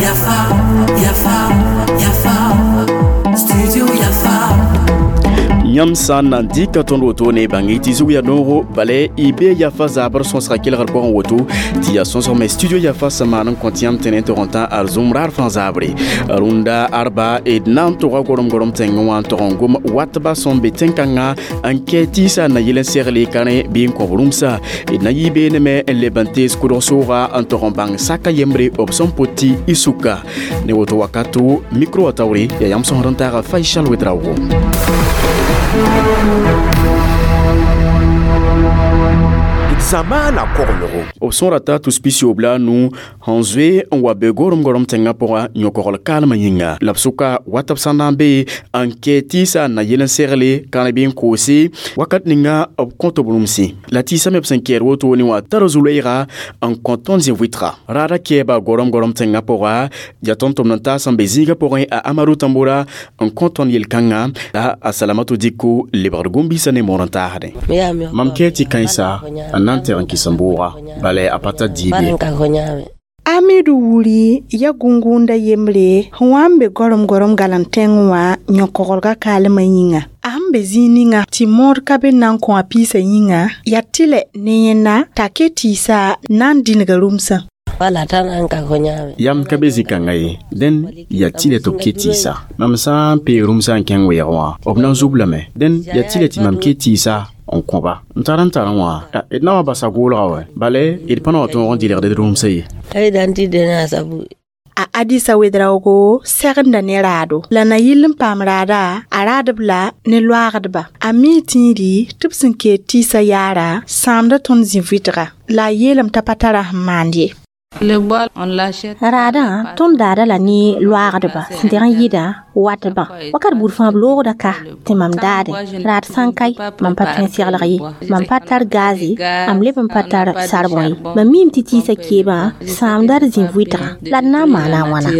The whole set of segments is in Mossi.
Yafa, Yafa, Yafa, Studio Yafa. Yãmb sã n na n dɩka tõnd wotone bãng-y tɩ zug yaa noogo bala y bee yafa zaabr sõsga kelgr pʋgẽ woto tɩ yaa sõsg me studio yafa sẽn maan n kõt yãmb tẽne tɩ rõtã arzũm raar fãa zaabre rũndã arba d na n tʋga gorom-gorom tẽngẽ wã n tog n gom watba sẽn be tẽn-kãngã n kɛ tɩɩsa na yel n segle ka rẽ bɩ n kõb rũmsa d na yɩ beene me n leb n tees kʋdg sooga n tog n bãng saka yembre b sẽn pʋt tɩ y sʋka ne woto wakato micro wã taoore yaa yãmb sõsd n taaga Faisal Ouedraogo. Zamaana koglgo. B sõra t'a tus-pisiob la a nu sẽn zoe n wa be gorom-gorom tẽngã pʋga yõkogl kaalmã yĩnga la b sʋka wat b sã n na n be n kɛ tɩɩsa n na yel n segle kãre bɩ n koose wakat ninga b kõ tɩ b rũmsẽ la tɩɩsã me b sẽn kɛɛd wotone wã tara zu-loeega n kõ tõnd zĩ-vɩtga raada kɛɛba gorom-gorom tẽngã pʋga yaa tõnd tʋmd n taas sẽn be zĩigã pʋgẽ a Amadou Tamboura n kõ tõnd yel-kãngã la a Salamatu Diko lebgd gũm-biisã ne moor n taasdẽ. Mam kɛɛ tɩ kãensa n na n tɛg n kɩs n bʋʋga bala a pa tar diib ye. Amidu wuri ya gũngũnda yembre sẽn wa n be gorom-gorom galem tẽngẽ wã yõkoglga kaalmã yĩnga. A sẽn be zĩig ninga tɩ mood ka be n na n kõ a piisã yĩnga yaa tɩlɛ ne yẽnna t'a ke tɩɩsa na n dĩnga rũmsã. Yam ka be zĩ-kãngã ye dẽn yaa tɩlɛ tɩ b ke tɩɩsa mam sã n pee rũmsã n kẽng weɛɛg wã b na n zub lame dẽn yaa tɩlɛ tɩ mam ke tɩɩsa n kõba n tar n tar wã d na wa basa goolga wɛ bala d pa na wa tõog n dɩlgd d rũmsã ye. A Adisa Ouedraogo segenda ne raado la na yɩl n paam raada a raadb la ne loaagdba a mi tĩiri tɩ b sẽn kee tɩɩsã yaara sãamda tõnd zĩ-vɩtga la a yeelame t'a pa tara sẽn maand ye. Raadã tõnd daada la ne loaagdba sẽn teg n yɩda watbã wakat buud fãa b loogda ka tɩ mam daade raad sã n kae mam pa tõe n seglg ye mam pa tar gaze am leb n pa tar sarbõ ye mam miime tɩ tɩɩsã keebã sãamda d zĩ-vɩtgã la d na n maana a wãna.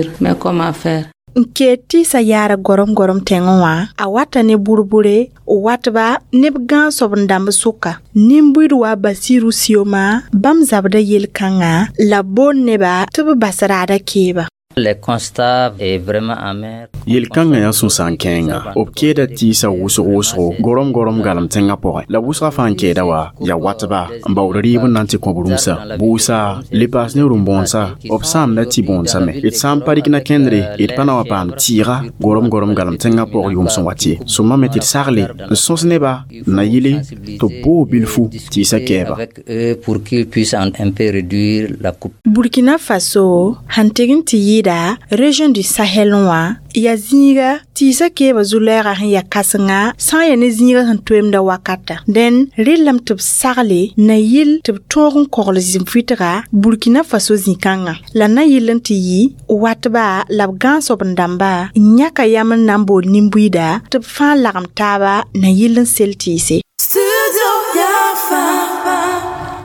N kee tɩɩsã yaara gorom-gorom tẽngẽ wã a wata ne burbure watba neb gãag-soab n dãmb sʋka nin-buid wa Basiru Sioma bãmb zabda yel-kãngã la b boond neba tɩ b bas raada keeba. Le constat est vraiment amer. Yel-kãngã yaa sũ-sãam kẽenga b keeda tɩɩsã wʋsg wʋsgo gorom-gorom galem tẽngã pʋgẽ la wʋsgã fãa n kɛɛda wa yaa watba n baood rɩɩb n na n tɩ kõb rũmsã bʋʋsa le paas ne rũm-bõonsã b sãamda tɩ bõonsã me d sã n pa rɩk na kẽndre d pa na wa paam tɩɩga gorom-gorom galem tẽngã pʋg yʋʋm sẽn wat ye sõma me tɩ d sagle n sõs neba n na yɩle tɩ b boog bilfu tɩɩsã kɛɛba. Avec eux pour qu'ils puissent un peu réduire la coupe. Burkina Faso sẽn tɩg n tɩ yɩɩda région du Sahel wã yaa zĩiga tɩɩsã keebã zu-lɛɛga sẽn yaa kãsenga sã n yaa ne zĩiga sẽn toemda wakata dẽn rɩllame tɩ b sagle na yɩl tɩ b tõog n kogl zĩ-vɩtga Burkina Faso zĩ-kãngã la na yɩl n tɩ yɩ watba la b gãag-soab n dãmba n yãka yam n na n bool nin-buiida tɩ b fãa lagem taaba na yɩl n sel tɩɩse. Studio Yafa.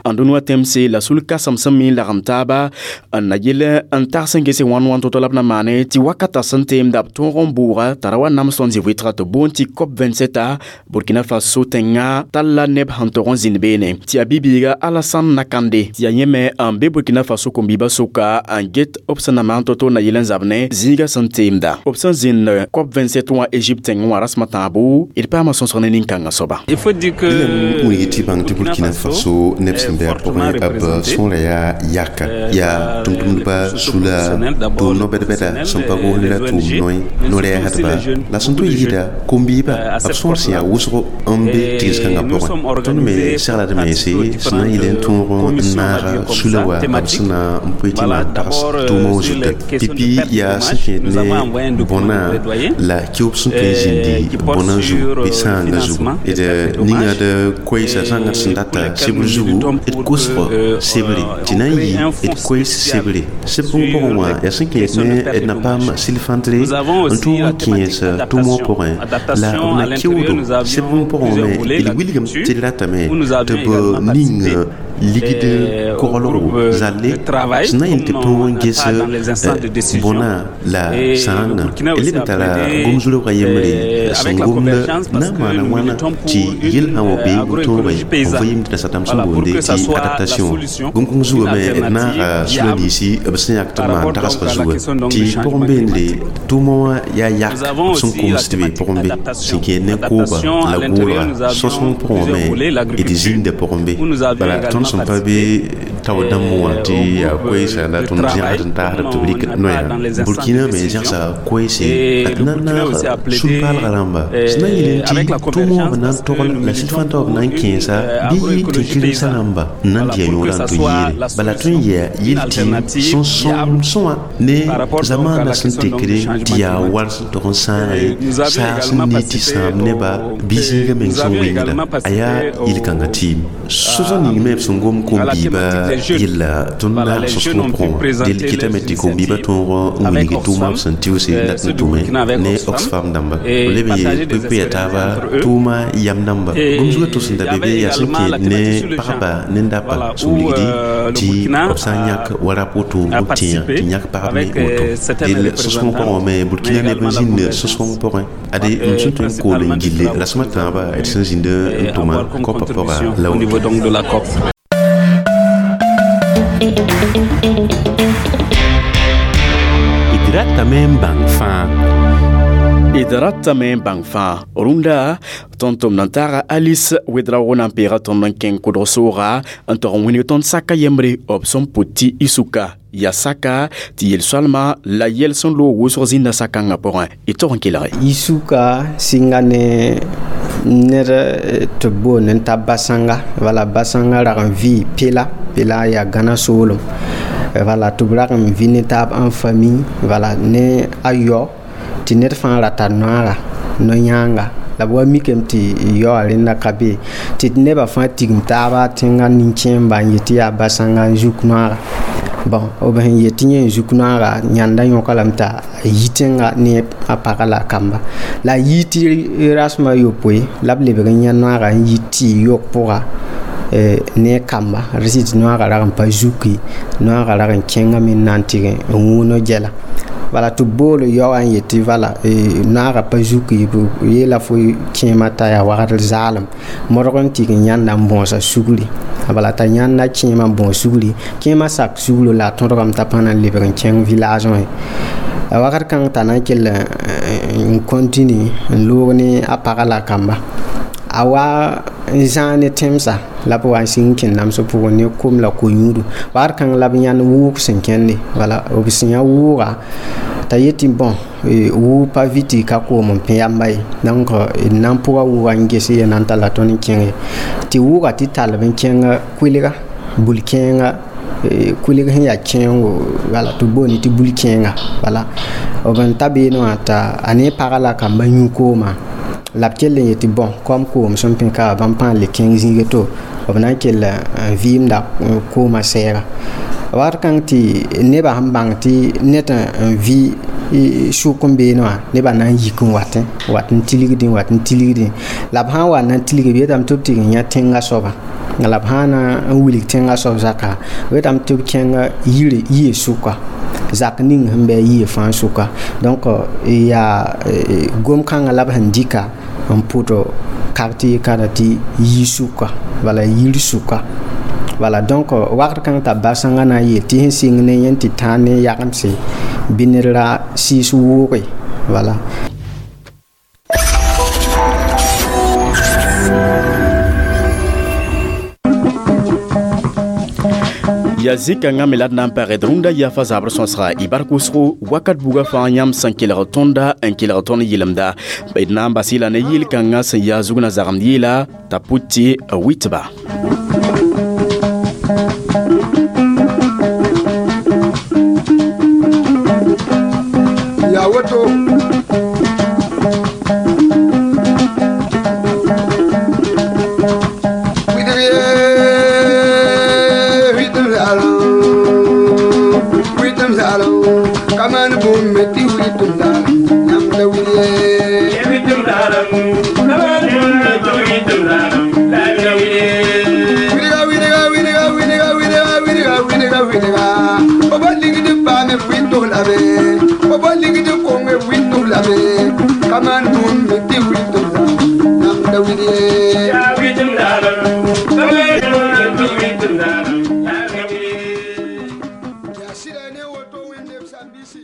N dũni tẽmse la sul kãsem sẽn mi n lagem taaba n na yɩl n tags n gese wãn wãn to-to la b na maane tɩ wakata sẽn teemda b tõog n bʋʋga t'a ra wa nams tõnd zĩ-vɩtga tɩ boond tɩ COP27 Burkina Faso tẽngã tall la neb sẽn tog n zĩnd beene tɩ yaa bi-biiga Alassane Nakande tɩ yaa yẽ me n be Burkina Faso kom-biibã sʋka n get b sẽn na maan to-to na yɩl n zab ne zĩigã sẽn teemda b sẽn zĩnd COP27 wã Égypte tẽngẽ wã rasmã tãabo d paama sõsg ne nin-kãngã soaba. Il faut dire que Bilam wilg tɩ bãng tɩ Burkina Faso neb sẽn be a pʋgẽ b sõora yaa yaka yaa tʋm-tʋmdba sula tʋʋm no-bɛd-bɛda sẽn pa gosd la tʋʋm noe no-rɛɛsdba la sẽn tʋ yɩɩda kom-biibã b sõor sẽn yaa wʋsgo n be tɩgs-kãngã pʋgẽ tõnd me seglad mense sẽn na n yɩl n tõog n naaga sula wa b sẽn na n poe tɩ maan tags tʋʋmã wã zuta pipi yaa sẽn kẽed ne bõna la keob sẽn tõe n zĩndi bõna zugu bɩ sãanga zugu d ninga d koɛɛsã zãngd sẽn data sebr zugu d kosgo sebre tɩ na n yɩ d koɛɛs sebre seb bũmb pʋgẽ wã yaa sẽn kẽed ne d na paam sil-fãntre n tõog n kẽes tʋʋm wã pʋgẽ la b na keoodo seb bũmb pʋgẽ me d wilgame tɩ d ratame tɩ b ning Ligd koglgo zalle sẽn na yel tɩ tõog n ges bõna la sãanga d leb n tara gom-zulbga yembre sẽn gomd na n maana wãna tɩ yel sã wa bee n tõoga b va yemd rasatãmb sẽn boonde tɩ adaptation gom-kãng zugame d naaga sula ninsi b sẽn yak tɩ maan tagsga zuga tɩ pʋgẽ beende tʋʋmã wã yaa yak b sẽn koms tɩ be pʋgẽ be sẽn kẽed ne kooba la goolga sõsg pʋgẽ me d zĩnda pʋgẽ be bala tõnd sẽn pa be tao dãmb wã tɩ yaa koɛɛsa la tõnd zẽgsd n taasd tɩ b rɩk noya Burkina me zẽgsa koɛɛse d na n naag sũ-paalga rãmba sẽn na n yel tɩ tʋʋmã wã b na n togl la sɩd fãa taoor b na n kẽesa bɩ tẽn-kiremsã rãmba n na n dɩ a yõorã n tɩ yeere bala tõe n yaa yel tɩ sẽn sõm sõa ne zamaana sẽn tekre tɩ yaa war sẽn tog n sãaga ye saag sẽn nii tɩ sãam neba bɩ zĩiga meng sẽn wɩngda a yaa yel-kãngã tɩɩm sõsg ning me b sẽn gom kom-biibã yella tõnd naag sõsg pʋgẽ wã del kɩtame tɩ kom-biibã tõog n wilg tʋʋmã b sẽn tɩʋse n dat n tʋme ne Oxfam dãmba b leb n yeel pʋɩ-pʋɩa taaba tʋʋma yam dãmba gom-zugã tʋs n da be be yaa sẽn kẽed ne pagba ne ndapa sẽn wilgdi tɩ b sã n yãk wa rap woto b tẽa tɩ yãk pagb ne woto del sõsg pʋgẽ wã me Burkina neb n zĩnd sõsg pʋgẽ ade m sẽn tõe n kool n gilli rasmã tãabã d sẽn zĩnd n tʋma kõpa pʋga la woto. D ratame n bãng fãa. D ratame n bãng fãa rũndã tõnd tʋm na n taaga Alice Wedraogo na n peega tõnd n kẽng kʋdg sooga n tog n wĩneg tõnd saka yembre b sẽn pʋt tɩ isuka yaa saka tɩ yel-soalma la yɛl sẽn loog wʋsg zĩnda sakãngã pʋgẽ y tog n kelge isuka sɩnga ne ned tɩ b boond n ta basãnga wala basãnga rag n vɩ pela pela yaa gãna soolem wala tɩ b rag n vɩ ne taab en famille wala ne a yao tɩ ned fãa rata noaga no-yãanga la b wa mikame tɩ yaoa rẽnda ka be tɩ nebã fãa tigim taaba tẽngã nin-kẽemba n yet tɩ yaa basãnga n zuk noaga bon b sẽn yet tɩ yẽ n zuk noaga yãnda yõka lame t'a yi tẽnga ne a pagã la a kamba la a yii tɩ rasmã yopoe la b lebg n yã noaga n yi tɩ yok pʋga ne kamba rɩ tɩ noaga rag n pa zuki noaga rag n kẽngame n na n tɩg n wũuna gɛla wala tɩ b bool yaoã n yetɩ wala noaga pa zuki b yeela fo kẽemã t'a yaa wagdr zaalem modg n tɩg n yãnda n bõosa sugri bala t'a yãnda kẽemã n bõos sugri kẽemã sak suglo la a tõdgame t'a pa na n lebg n kẽng village wã ye wakat kãng t'a na n kell n continue n loog ne a pagã la a kamba a wa n zãag ne tẽmsa la b wa n sɩng kẽnd namsg pʋgẽ ne kom la ko-yũudu wakat kãng la b yãnd wʋʋg sẽn kẽnde wala b sẽn yã wʋʋga t'a yetɩ bõn wʋʋg pa vɩ tɩ ka koom n pẽ yamba ye donc d na n pʋga wʋʋga n ges ye na n talla tõnd n kẽnge tɩ wʋʋga tɩ tall b n kẽng kʋɩlga bul-kẽenga kʋɩlg sẽn yaa kẽengo wala tɩ b boonde tɩ bul-kẽenga wala b n ta beene wã t'a a ne pagã la a kamba yũ koomã la b kell n yetɩ bõn kom koom sẽn pẽ ka bãmb pãa n le kẽng zĩiga to b na n kell n vɩɩmda koomã sɛɛga wakat kãng tɩ nebã sẽn bãng tɩ ned n vɩ sʋk n beene wã nebã na n yik n watẽ wat n tilgdẽ wat n tilgdẽ la b sã n wa na n tilg b yetame tɩ b tɩg n yã tẽngã soaba la b sã na n wilg tẽngã soab zaka b yetame tɩ b kẽng yire yie sʋka zak ning sẽn bɩ a yie fãa sʋka donc yaa gom-kãngã la b sẽn dɩka n pʋt quartier kãra tɩ yi sʋka wala yir sʋka wala donc wakat kãng t'a basãngã na n yeel tɩ sẽn sɩng ne yẽ tɩ tãag ne yagemse bɩ ned ra sɩɩs wʋʋge wala. Yaa zĩ-kãngã me la d na n pagd rũndã yafa zabr sõsga y bark wʋsgo wakat buga fãa yãmb sẽn kelg tõnda n kelg tõnd yɩlemda d na n bas y la ne yɩl-kãngã sẽn yaa zugna zagemd yɩɩla t'a pʋt tɩ wɩtba. Yaa woto Yaa sɩda ne woto Wẽnde b sãmbisi.